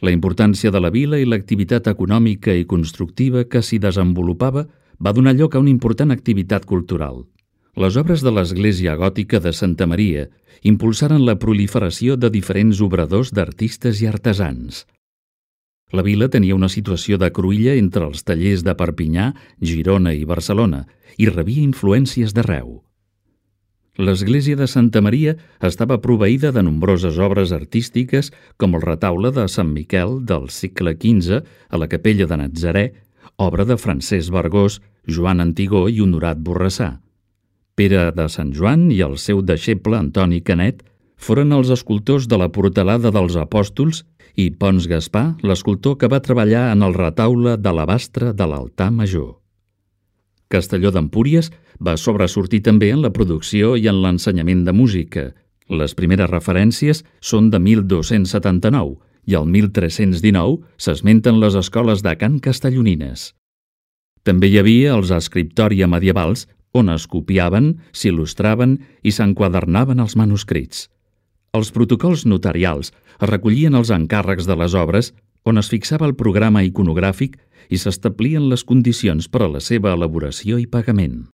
La importància de la vila i l'activitat econòmica i constructiva que s'hi desenvolupava va donar lloc a una important activitat cultural. Les obres de l'església gòtica de Santa Maria impulsaren la proliferació de diferents obradors d'artistes i artesans. La vila tenia una situació de cruïlla entre els tallers de Perpinyà, Girona i Barcelona i rebia influències d'arreu. L'església de Santa Maria estava proveïda de nombroses obres artístiques com el retaule de Sant Miquel del segle XV a la capella de Natzarè, obra de Francesc Vergós, Joan Antigó i Honorat Borrassà. Pere de Sant Joan i el seu deixeble Antoni Canet foren els escultors de la portalada dels Apòstols i Pons Gaspar, l'escultor que va treballar en el retaule d'alabastre de l'altar major. Castelló d'Empúries va sobresortir també en la producció i en l'ensenyament de música. Les primeres referències són de 1279 i al 1319 s'esmenten les escoles de cant castellonines. També hi havia els escriptoria medievals on es copiaven, s'il·lustraven i s'enquadernaven els manuscrits. Els protocols notarials es recollien els encàrrecs de les obres on es fixava el programa iconogràfic i s'establien les condicions per a la seva elaboració i pagament.